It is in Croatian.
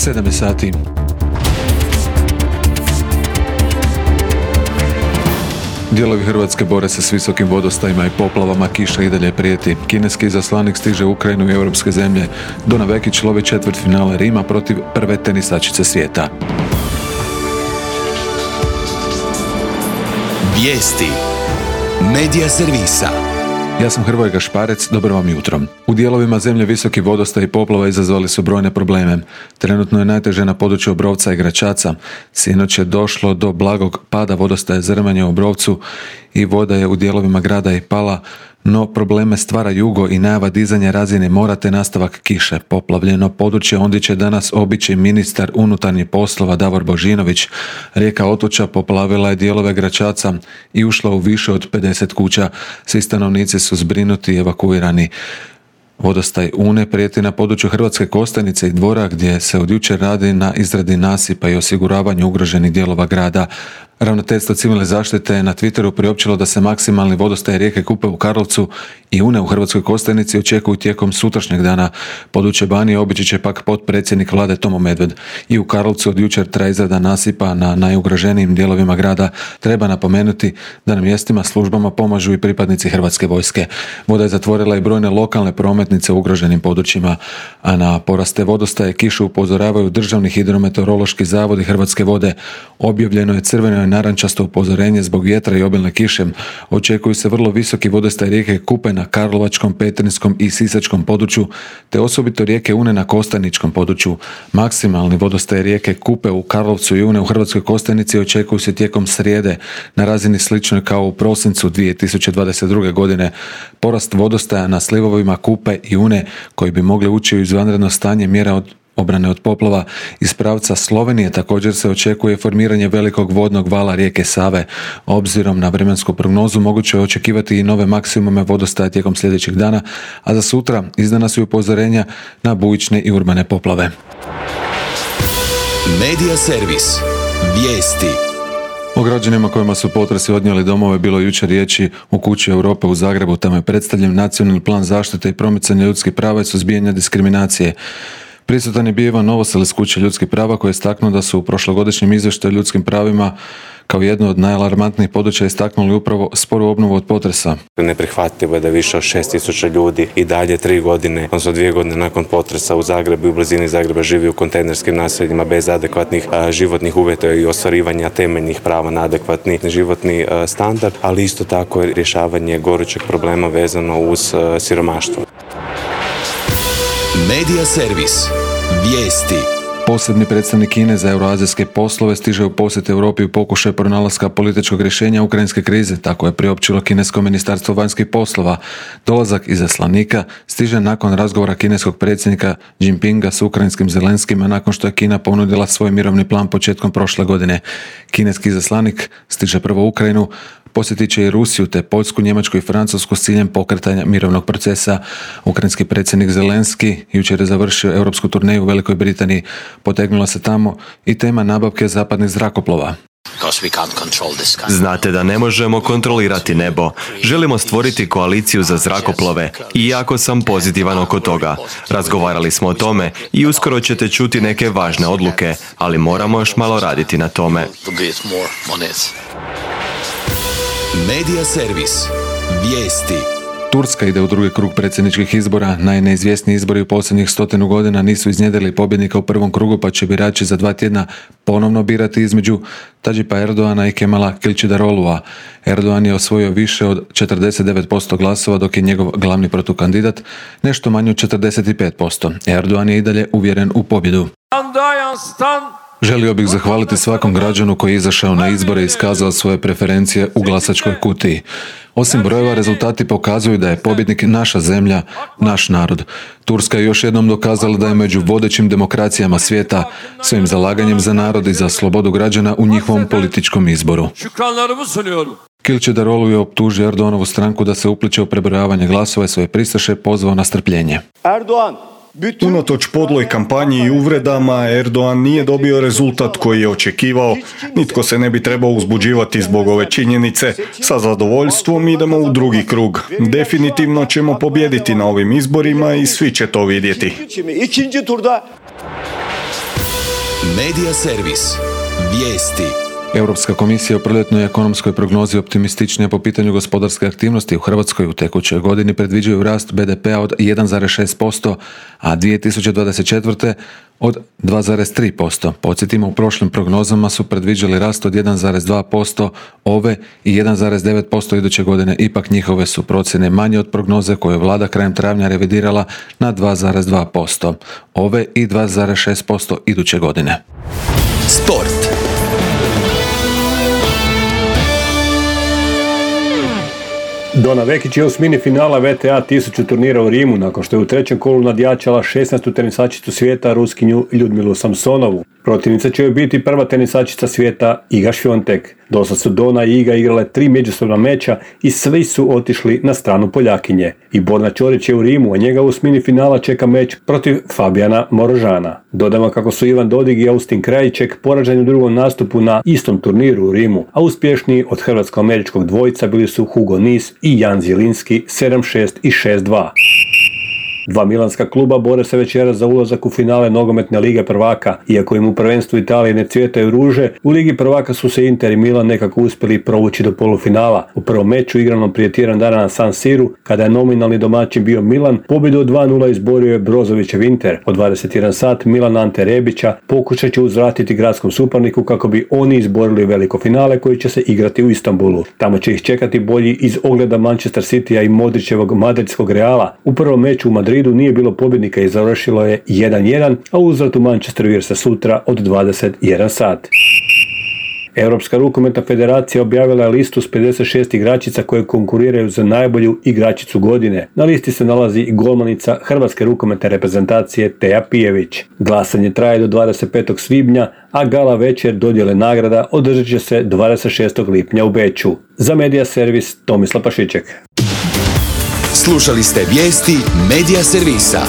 7 sati. Dijelovi Hrvatske bore se s visokim vodostajima i poplavama, kiša i dalje prijeti. Kineski izaslanik stiže u Ukrajinu i europske zemlje. Dona Vekić lovi četvrtfinale Rima protiv prve tenisačice svijeta. Vijesti Medija servisa. Ja sam Hrvoje Gašparec, dobro vam jutro. U dijelovima zemlje visoki vodostaj i poplava izazvali su brojne probleme. Trenutno je najteže na području Obrovca i Gračaca. Sinoć je došlo do blagog pada vodostaja Zrmanje u Obrovcu i voda je u dijelovima grada i pala, no probleme stvara jugo i najava dizanja razine mora te nastavak kiše. Poplavljeno područje ondje će danas obići ministar unutarnjih poslova Davor Božinović. Rijeka Otoča poplavila je dijelove Gračaca i ušla u više od 50 kuća. Svi stanovnici su zbrinuti i evakuirani. Vodostaj Une prijeti na području Hrvatske Kostajnice i Dvora, gdje se od jučer radi na izradi nasipa i osiguravanju ugroženih dijelova grada. Ravnateljstvo civilne zaštite je na Twitteru priopćilo da se maksimalni vodostaj rijeke Kupe u Karlovcu i Une u Hrvatskoj Kostajnici očekuju tijekom sutrašnjeg dana. Područje Banije obići će pak potpredsjednik vlade Tomo Medved. I u Karlovcu od jučer traje izrada nasipa na najugroženijim dijelovima grada. Treba napomenuti da na mjestima službama pomažu i pripadnici Hrvatske vojske. Voda je zatvorila i brojne lokalne prometnice u ugroženim područjima, a na poraste vodostaje kišu upozoravaju Državni hidrometeorološki zavod i Hrvatske vode. Objavljeno je crveno i narančasto upozorenje zbog vjetra i obilne kiše. Očekuju se vrlo visoki vodostaj rijeke Kupe na Karlovačkom, Petrinjskom i Sisačkom području, te osobito rijeke Une na Kostajničkom području. Maksimalni vodostaj rijeke Kupe u Karlovcu i Une u Hrvatskoj Kostajnici očekuju se tijekom srijede na razini sličnoj kao u prosincu 2022. godine. Porast vodostaja na slivovima Kupe i Une, koji bi mogli ući u izvanredno stanje mjera od obrane od poplava iz pravca Slovenije, također se očekuje formiranje velikog vodnog vala rijeke Save. Obzirom na vremensku prognozu moguće je očekivati i nove maksimume vodostaja tijekom sljedećeg dana, a za sutra izdana su i upozorenja na bujične i urbane poplave. Medija servis. Vijesti. O građanima kojima su potresi odnijeli domove bilo jučer riječi u Kući Europe u Zagrebu. Tamo je predstavljen nacionalni plan zaštite i promicanja ljudskih prava i suzbijanja diskriminacije. Prisutan je bio Ivan Novosel iz Kuće ljudskih prava, koji je istaknuo da su u prošlogodišnjem izvještaju o ljudskim pravima kao jedno od najalarmantnijih područja istaknuli upravo sporu obnovu od potresa. Neprihvatljivo je da više od 6.000 ljudi i dalje 3 godine, odnosno 2 godine nakon potresa u Zagrebu i u blizini Zagreba živi u kontejnerskim naseljima bez adekvatnih životnih uvjeta i ostvarivanja temeljnih prava na adekvatni životni standard, ali isto tako je rješavanje gorućeg problema vezano uz siromaštvo. Medija servis. Vijesti. Posebni predstavnik Kine za euroazijske poslove stiže u posjet Europi u pokušaju pronalaska političkog rješenja ukrajinske krize, tako je priopćilo kinesko ministarstvo vanjskih poslova. Dolazak izaslanika stiže nakon razgovora kineskog predsjednika Jinpinga s ukrajinskim Zelenskim, a nakon što je Kina ponudila svoj mirovni plan početkom prošle godine. Kineski izaslanik stiže prvo u Ukrajinu, posjetit će i Rusiju te Poljsku, Njemačku i Francusku s ciljem pokretanja mirovnog procesa. Ukrajinski predsjednik Zelenski jučer je završio europsku turneju u Velikoj Britaniji. Potegnula se tamo i tema nabavke zapadnih zrakoplova. Znate da ne možemo kontrolirati nebo. Želimo stvoriti koaliciju za zrakoplove i jako sam pozitivan oko toga. Razgovarali smo o tome i uskoro ćete čuti neke važne odluke, ali moramo još malo raditi na tome. Medija servis. Vijesti. Turska ide u drugi krug predsjedničkih izbora. Najneizvjesniji izbori u posljednjih 100 godina nisu iznjedrili pobjednika u prvom krugu, pa će birači za 2 tjedna ponovno birati između Tadžipa Erdoana i Kemala Kılıçdaroğlu'a. Erdoan je osvojio više od 49% glasova, dok je njegov glavni protukandidat nešto manje od 45%. Erdoan je i dalje uvjeren u pobjedu. Želio bih zahvaliti svakom građanu koji je izašao na izbore i iskazao svoje preferencije u glasačkoj kutiji. Osim brojeva, rezultati pokazuju da je pobjednik naša zemlja, naš narod. Turska je još jednom dokazala da je među vodećim demokracijama svijeta svojim zalaganjem za narod i za slobodu građana u njihovom političkom izboru. Kılıçdaroğlu je optužio Erdoganovu stranku da se upliče u prebrojavanje glasova i svoje pristaše pozvao na strpljenje. Unatoč podloj kampanji i uvredama, Erdogan nije dobio rezultat koji je očekivao. Nitko se ne bi trebao uzbuđivati zbog ove činjenice. Sa zadovoljstvom idemo u drugi krug. Definitivno ćemo pobijediti na ovim izborima i svi će to vidjeti. Medija servis. Vijesti. Europska komisija u proljetnoj ekonomskoj prognozi optimističnija po pitanju gospodarske aktivnosti u Hrvatskoj u tekućoj godini predviđaju rast BDP-a od 1,6%, a 2024. od 2,3%. Podsjetimo, u prošlim prognozama su predviđali rast od 1,2% ove i 1,9% iduće godine. Ipak njihove su procjene manje od prognoze koje je vlada krajem travnja revidirala na 2,2% ove i 2,6% iduće godine. Sport. Dona Vekić je osmini finala VTA 1000 turnira u Rimu nakon što je u trećem kolu nadjačala 16. tenisačicu svijeta Ruskinju Ljudmilu Samsonovu. Protivnica će joj biti prva tenisačica svijeta Iga Świątek. Dosad su Dona i Iga igrale 3 međusobna meča i svi su otišli na stranu Poljakinje. I Borna Ćorić je u Rimu, a njega u osmini finala čeka meč protiv Fabijana Morožana. Dodamo kako su Ivan Dodig i Austin Krajiček poraženi u drugom nastupu na istom turniru u Rimu, a uspješniji od hrvatsko-američkog dvojica bili su Hugo Nis i Jan Zielinski 7-6 i 6-2. Dva milanska kluba bore se večeras za ulazak u finale nogometne lige prvaka. Iako im u prvenstvu Italije ne cvjetaju ruže, u ligi prvaka su se Inter i Milan nekako uspjeli provući do polufinala. U prvom meču igranom prije tjedan dana na San Siru, kada je nominalni domaćin bio Milan, pobjedu od 2-0 izborio je Brozovićev Inter. Od 21 sat Milan Ante Rebića pokušat će uzvratiti gradskom suparniku kako bi oni izborili veliko finale koji će se igrati u Istanbulu. Tamo će ih čekati bolji iz ogleda Manchester Citya i Modrićevog madridskog Reala. U prvom meču u Madridu nije bilo pobjednika i završilo je 1-1, a uzvrat u Manchesteru igra se sutra od 21 sat. Europska rukometna federacija objavila je listu s 56 igračica koje konkuriraju za najbolju igračicu godine. Na listi se nalazi i golmanica hrvatske rukometne reprezentacije Teja Pijević. Glasanje traje do 25. svibnja, a gala večer dodjele nagrada održat će se 26. lipnja u Beču. Za Medija servis Tomislav Pašiček. Slušali ste vijesti Medija servisa.